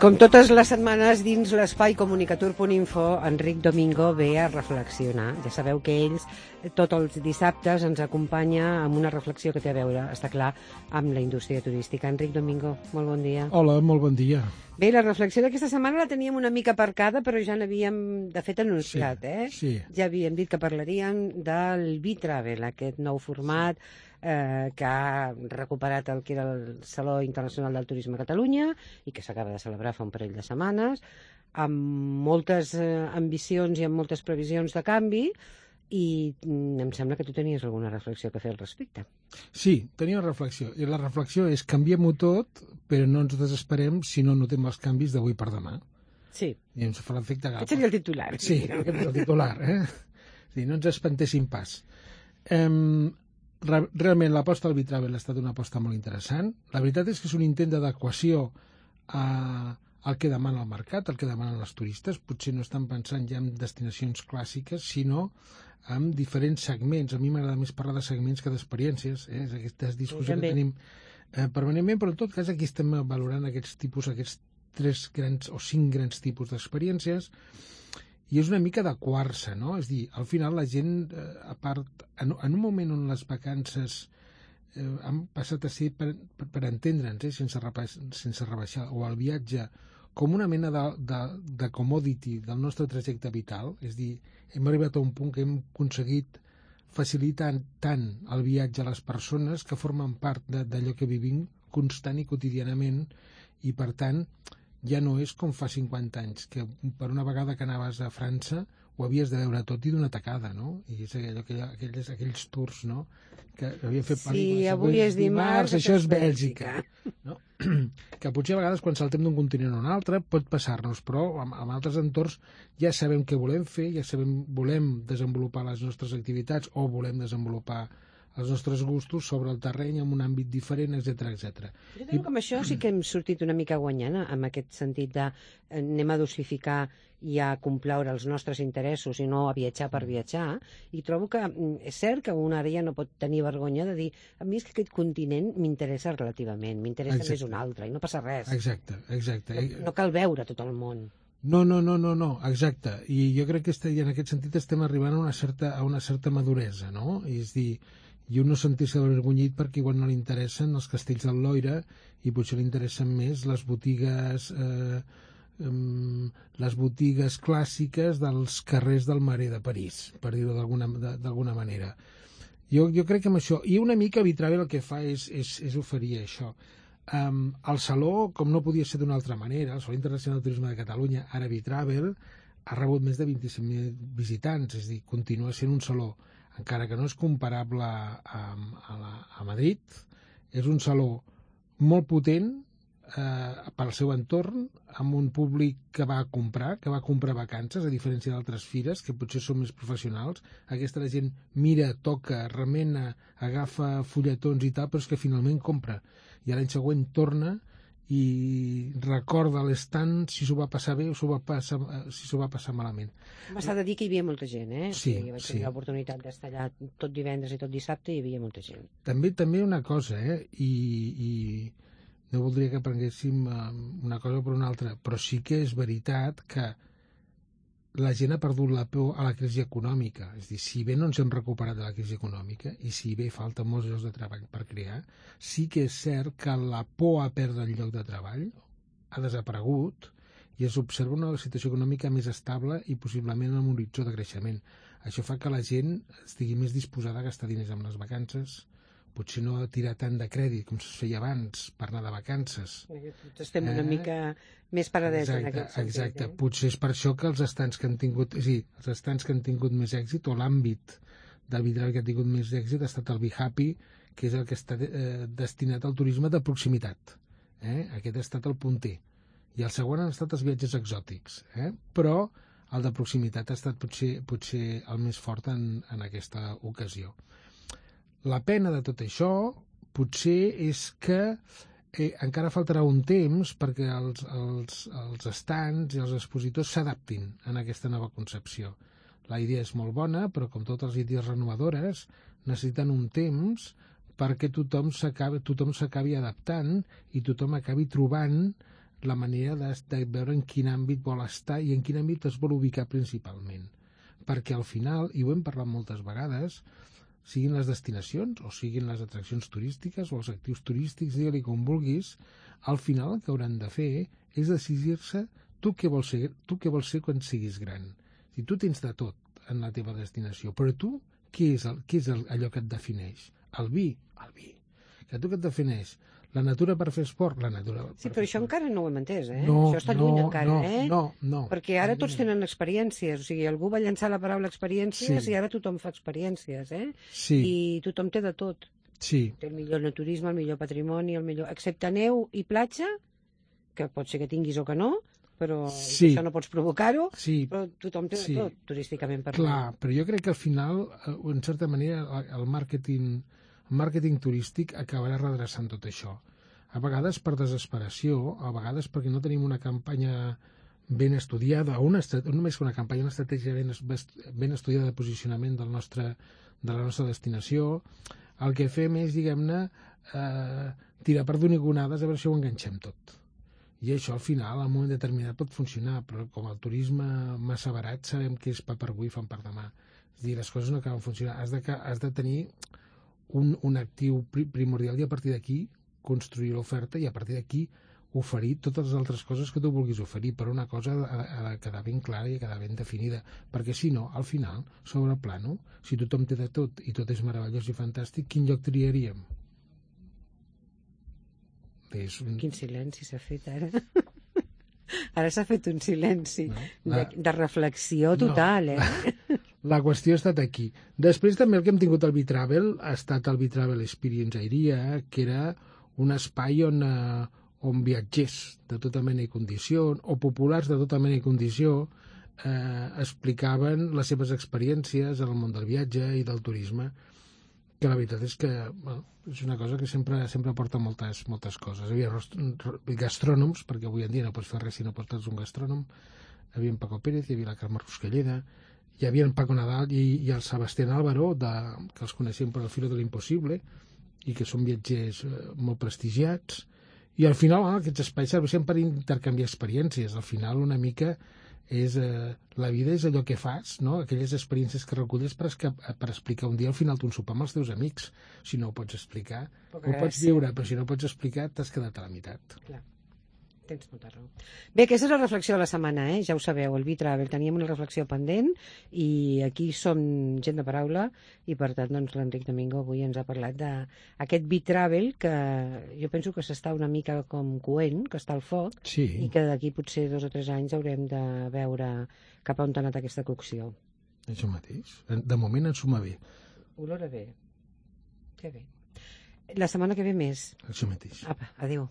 Com totes les setmanes dins l'espai comunicatur.info, Enric Domingo ve a reflexionar. Ja sabeu que ells tots els dissabtes ens acompanya amb una reflexió que té a veure, està clar, amb la indústria turística. Enric Domingo, molt bon dia. Hola, molt bon dia. Bé, la reflexió d'aquesta setmana la teníem una mica aparcada, però ja n'havíem, de fet, anunciat, Sí. Ja havíem dit que parlaríem del B-Travel, aquest nou format que ha recuperat el que era el Saló Internacional del Turisme a Catalunya i que s'acaba de celebrar fa un parell de setmanes, amb moltes ambicions i amb moltes previsions de canvi, i em sembla que tu tenies alguna reflexió que fer al respecte. Sí, tenia una reflexió. I la reflexió és canviem-ho tot, però no ens desesperem si no notem els canvis d'avui per demà. Sí. I ens fa l'efecte Gapa. Aquest seria el titular. Sí, aquest és el titular. Sí, no ens espantessin pas. Realment l'aposta al B-Travel ha estat una aposta molt interessant. La veritat és que és un intent d'adequació al que demana el mercat, al que demanen els turistes. Potser no estan pensant ja en destinacions clàssiques, sinó en diferents segments. A mi m'agrada més parlar de segments que d'experiències. És aquesta discussió que tenim permanentment, però en tot cas aquí estem valorant aquests 3 grans o 5 grans tipus d'experiències, i és una mica adequar-se, no? És dir, al final la gent, a part, en un moment on les vacances han passat a ser, per entendre'ns, sense rebaixar, o el viatge com una mena de commodity del nostre trajecte vital, és dir, hem arribat a un punt que hem aconseguit facilitar tant el viatge a les persones que formen part d'allò que vivim constant i quotidianament, i per tant ja no és com fa 50 anys, que per una vegada que anaves a França ho havies de veure tot i d'una tacada, no? I és aquells tours, no?, que havien fet pel·lícules. Sí, avui és dimarts, això és Bèlgica. No? Que potser a vegades quan saltem d'un continent a un altre pot passar-nos, però en altres entorns ja sabem què volem fer, ja sabem, volem desenvolupar les nostres activitats o volem desenvolupar els nostres gustos sobre el terreny en un àmbit diferent, etc etc. Jo crec que amb això sí que hem sortit una mica guanyant, en aquest sentit de anem a dosificar i a complaure els nostres interessos i no a viatjar per viatjar, i trobo que és cert que un ara ja no pot tenir vergonya de dir a mi és que aquest continent m'interessa relativament, m'interessa més un altre, i no passa res. Exacte. No cal veure tot el món. No, exacte. I jo crec que en aquest sentit estem arribant a una certa maduresa, no? És dir, i un no sentir-se avergonyit perquè igual no li interessen els castells del Loira i potser li interessen més les botigues clàssiques dels carrers del Marais de París, per dir-ho d'alguna manera. Jo crec que amb això, i una mica B-Travel el que fa és oferir això. El Saló, com no podia ser d'una altra manera, el Saló Internacional del Turisme de Catalunya, ara B-Travel, ha rebut més de 25.000 visitants, és a dir, continua sent un saló, encara que no és comparable a Madrid. És un saló molt potent pel seu entorn, amb un públic que va comprar vacances, a diferència d'altres fires, que potser són més professionals. Aquesta la gent mira, toca, remena, agafa fulletons i tal, però és que finalment compra. I l'any següent torna i recorda l'estand si s'ho va passar bé o si s'ho va passar malament. M'ha de dir que hi havia molta gent, Sí. Jo vaig tenir l'oportunitat d'estar allà tot divendres i tot dissabte i hi havia molta gent. També una cosa, i no voldria que prenguéssim una cosa per una altra, però sí que és veritat que la gent ha perdut la por a la crisi econòmica. És a dir, si bé no ens hem recuperat de la crisi econòmica i si bé falten molts llocs de treball per crear, sí que és cert que la por a perdre el lloc de treball ha desaparegut i es observa una situació econòmica més estable i possiblement amb un horitzó de creixement. Això fa que la gent estigui més disposada a gastar diners amb les vacances, potser no a tirar tant de crèdit com es feia abans per anar de vacances. Estem una mica més paradets en aquest sentit. Exacte. Potser és per això que els estands que han tingut més èxit, o l'àmbit del B-Travel que ha tingut més èxit, ha estat el Be Happy, que és el que està destinat al turisme de proximitat. Aquest ha estat el punter. I el següent han estat els viatges exòtics. Però el de proximitat ha estat potser el més fort en aquesta ocasió. La pena de tot això potser és que encara faltarà un temps perquè els estands i els expositors s'adaptin a aquesta nova concepció. La idea és molt bona, però com totes les idees renovadores, necessiten un temps perquè tothom s'acabi adaptant i tothom acabi trobant la manera de veure en quin àmbit vol estar i en quin àmbit es vol ubicar principalment. Perquè al final, i ho hem parlat moltes vegades, siguin les destinacions o siguin les atraccions turístiques o els actius turístics, digue-li com vulguis, al final el que hauran de fer és decidir-se tu què vols ser quan siguis gran. Si tu tens de tot en la teva destinació, però tu què és allò que et defineix? El vi. Que tu què et defineix? La natura per fer esport? La natura per Sí, però això encara no ho hem entès, eh? No, això està lluny encara, No. Perquè ara tots tenen experiències, o sigui, algú va llançar la paraula experiències i ara tothom fa experiències, eh? Sí. I tothom té de tot. Sí. Té el millor naturisme, el millor patrimoni, el millor... Excepte neu i platja, que pot ser que tinguis o que no, però això no pots provocar-ho, però tothom té de tot, turísticament parlant. Clar, però jo crec que al final, en certa manera, el màrqueting turístic acabarà redreçant tot això. A vegades per desesperació, a vegades perquè no tenim una campanya ben estudiada, o només una campanya, una estratègia ben estudiada de posicionament de la nostra destinació. El que fem és, diguem-ne, tirar per donigonades a veure si ho enganxem tot. I això, al final, en un moment determinat pot funcionar, però com el turisme massa barat sabem que és pa per avui i fam per demà. És a dir, les coses no acaben funcionant. Has de tenir un actiu primordial i a partir d'aquí construir l'oferta i a partir d'aquí oferir totes les altres coses que tu vulguis oferir, però una cosa ha de quedar ben clara i quedar ben definida, perquè si no, al final, sobre el plano, si tothom té de tot i tot és meravellós i fantàstic, quin lloc triaríem? Quin silenci s'ha fet ara. Ara s'ha fet un silenci de reflexió total, eh? La qüestió ha estat aquí. Després també el que hem tingut al Bitravel ha estat el Bitravel Experience Airia, que era un espai on viatgers de tota mena i condició, o populars de tota mena i condició, explicaven les seves experiències en el món del viatge i del turisme, que la veritat és que és una cosa que sempre porta moltes coses. Hi havia gastrònoms, perquè avui en dia no pots fer res si no portes un gastrònom. Hi havia en Paco Pérez, hi havia la Carme Ruscalleda, hi havia en Paco Nadal i el Sebastián Álvaro, que els coneixem per el Filo de l'Impossible i que són viatgers molt prestigiats. I al final aquests espais serveixen per intercanviar experiències. Al final una mica la vida és allò que fas, no? Aquelles experiències que reculles per explicar un dia al final d'un sopar amb els teus amics. Si no ho pots explicar, ho pots viure, però si no ho pots explicar t'has quedat a la meitat. Clar, tens molta raó. Bé, aquesta és la reflexió de la setmana, ja ho sabeu, el Bitravel. Teníem una reflexió pendent i aquí som gent de paraula i per tant doncs, l'Enric Domingo avui ens ha parlat d'aquest Bitravel que jo penso que s'està una mica com coent, que està al foc i que d'aquí potser 2 o 3 anys haurem de veure cap a on ha anat aquesta cocció. Això mateix. De moment ens suma bé. Olora bé. Que bé. La setmana que ve més. Això mateix. Apa, adéu.